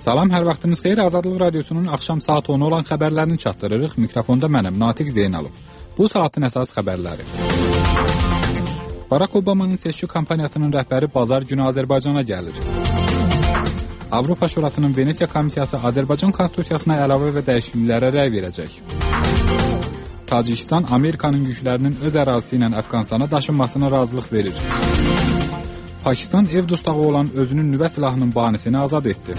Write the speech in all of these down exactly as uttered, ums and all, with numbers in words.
Salam, hər vaxtınız xeyir. Azadlıq Radiosunun axşam saat onu olan xəbərlərini çatdırırıq. Mikrofonda mənəm, Natiq Zeynalov. Bu saatin əsas xəbərləri. Barack Obamanın seçki kampaniyasının rəhbəri bazar günü Azərbaycana gəlir. Avropa Şurasının Venesiya Komissiyası Azərbaycan Konstitusiyasına əlavə və dəyişikliklərə rəy verəcək. Tacikistan Amerikanın yüklərinin öz ərazisi ilə Əfqanistana daşınmasına razılıq verir. Pakistan ev dustağı olan özünün nüvə silahının banisini azad etdi.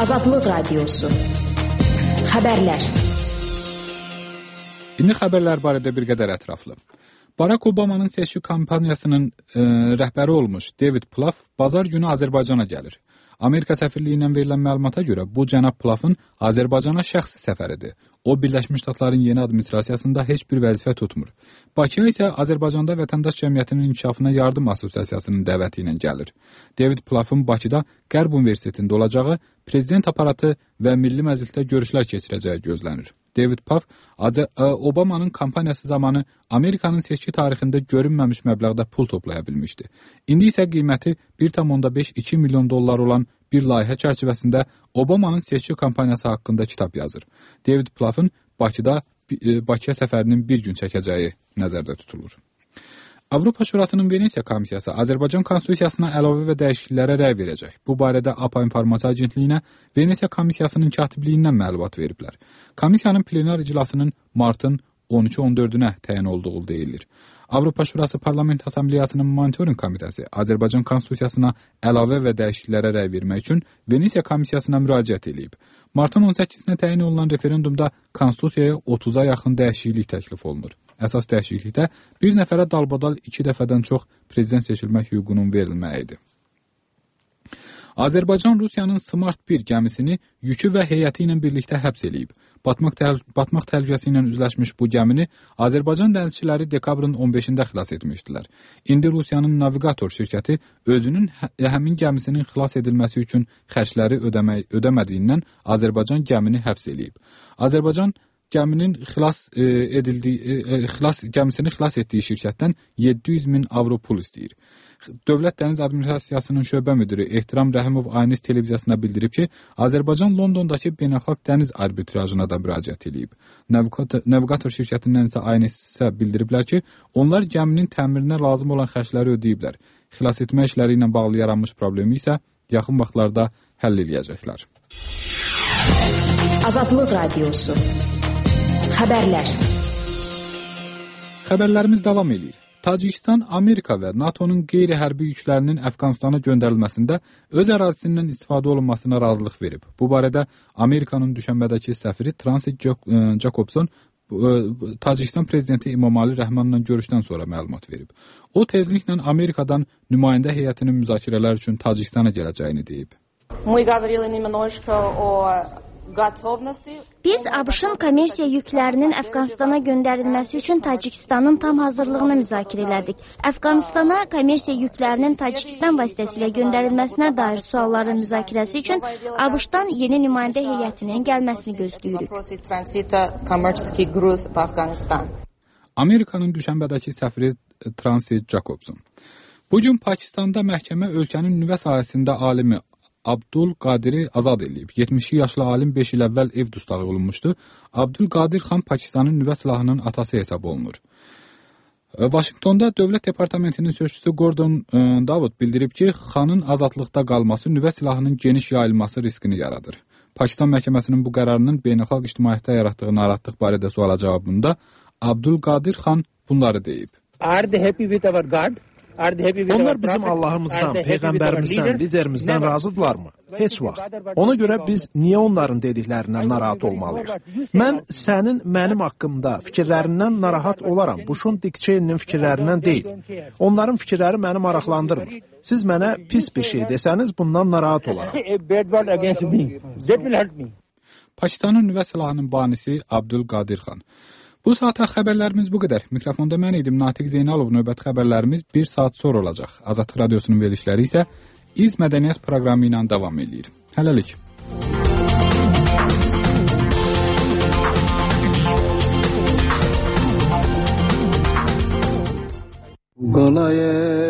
Azadlıq Radiosu. Xəbərlər. İndi xəbərlər barədə bir qədər ətraflı. Barack Obamanın seçki kampaniyasının e, rəhbəri olmuş David Plouffe bazar günü Azərbaycana gəlir. Amerika səfirliyindən verilən məlumata görə bu cənab Plouffe'ın Azərbaycana şəxsi səfəridir. O, Birləşmiş Ştatların yeni administrasiyasında heç bir vəzifə tutmur. Bakıya isə Azərbaycanda vətəndaş cəmiyyətinin inkişafına yardım assosiasiyasının dəvəti ilə gəlir. David Plouffe'ın Bakıda Qərb Universitetində olacağı, prezident aparatı və Milli Məclisdə görüşlər keçirəcəyi gözlənir. David Plouffe Obamanın kampaniyası zamanı Amerikanın seçki tarixində görünməmiş məbləğdə pul toplaya bilmişdi. İndi isə qiyməti bir tam beş iki milyon dollar olan bir layihə çərçivəsində Obamanın seçki kampaniyası haqqında kitab yazır. David Plouffe'ın Bakıda Bakıya səfərinin bir gün çəkəcəyi nəzərdə tutulur. Avropa Şurasının Venesiya Komissiyası Azərbaycan Konstitusiyasına əlavə və dəyişikliklərə rəy verəcək. Bu barədə A P A İnformasiya Agentliyinə Venesiya Komissiyasının katibliyindən məlumat veriblər. Komissiyanın plenar iclasının martın on üçü on dördünə təyin olduğu deyilir. Avropa Şurası Parlament Assambleyasının Monitoring Komitəsi Azərbaycan Konstitusiyasına əlavə və dəyişikliklərə rəy vermək üçün Venesiya Komissiyasına müraciət edib. Martın on səkkizinə təyin olunan referendumda Konstitusiyaya otuza yaxın dəyişiklik təklif olunur. Əsas dəyişiklikdə bir nəfərə dalbadal iki dəfədən çox prezident seçilmək hüququnun verilməyidir. Azərbaycan Rusiyanın Smart bir gəmisini yükü və heyəti ilə birlikdə həbs edib. Batmaq, təhl batmaq təhlükəsi ilə üzləşmiş bu gəmini Azərbaycan dənizçiləri dekabrın on beşində xilas etmişdilər. İndi Rusiyanın navigator şirkəti özünün hə həmin gəmisinin xilas edilməsi üçün xərcləri ödəmə ödəmədiyindən Azərbaycan gəmini həbs edib. Azərbaycan gəminin xilas e, edildiyi e, xilas gəmisini xilas etdiyi şirkətdən yeddi yüz min avro pul istəyir. Dövlət Dəniz Administrasiyasının şöbə müdiri Ehtiram Rəhimov Ayniz televiziyasına bildirib ki, Azərbaycan Londondakı beynəlxalq dəniz arbitrajına da müraciət edib. Navigator, navigator şirkətindən isə Ayniz isə bildiriblər ki, onlar gəminin təmirinə lazım olan xərcləri ödəyiblər. Xilas etmə işləri ilə bağlı yaranmış problemi isə yaxın vaxtlarda həll edəcəklər. Azadlıq Radiosu. Xəbərlər. Xəbərlərimiz davam edir. Tacikistan, Amerika və NATO'nun qeyri-hərbi yüklərinin Əfqanistana göndərilməsində öz ərazisindən istifadə olunmasına razılıq verib. Bu barədə Amerikanın düşənbədəki səfiri Transit Jacobson Tacikistan prezidenti İmamali Rəhmanla görüşdən sonra məlumat verib. O, tezliklə Amerikadan nümayəndə heyətinin müzakirələr üçün Tacikistana gələcəyini deyib. Biz ABŞ-ın kommersiya yüklərinin Əfqanistana göndərilməsi üçün Tacikistanın tam hazırlığını müzakirə elədik. Əfqanistana kommersiya yüklərinin Tacikistan vasitəsilə göndərilməsinə dair sualların müzakirəsi üçün ABŞ-dan yeni nümayəndə heyətinin gəlməsini gözləyirik. Amerikanın düşənbədəki səfiri Transit Jacobson. Bugün Pakistanda məhkəmə ölkənin nüvə sahəsində alimi Abdul Qadiri azad edilib. yetmiş iki yaşlı alim beş il əvvəl ev dustağı olunmuşdu. Abdul Qadir xan Pakistanın nüvə silahının atası hesab olunur. Vaşinqtonda Dövlət Departamentinin sözçüsü Gordon Davud bildirib ki, xanın azadlıqda qalması nüvə silahının geniş yayılması riskini yaradır. Pakistan məhkəməsinin bu qərarının beynəlxalq ictimaiyyətdə yaratdığı narahatlıq barədə suala cavabında Abdul Qadir xan bunları deyib. Are they happy with our God? Onlar bizim Allahımızdan, Peyğəmbərimizdən, liderimizdən razıdırlarmı? Heç vaxt. Ona görə biz niyə onların dediklərindən narahat olmalıyıq? Mən sənin mənim haqqımda fikirlərindən narahat olaram. Bushun Dick Cheney'nin fikirlərindən deyil. Onların fikirləri məni maraqlandırmır. Siz mənə pis bir şey desəniz, bundan narahat olaram. Pakistanın nüvə silahının banisi Abdul Qadir xan. Bu saata xəbərlərimiz bu qədər. Mikrofonda mən idim, Natiq Zeynalov. Növbəti xəbərlərimiz bir saat sonra olacaq. Azadlıq Radiosunun verilişləri isə İz Mədəniyyət proqramı ilə davam edir. Hələlik. Qalaya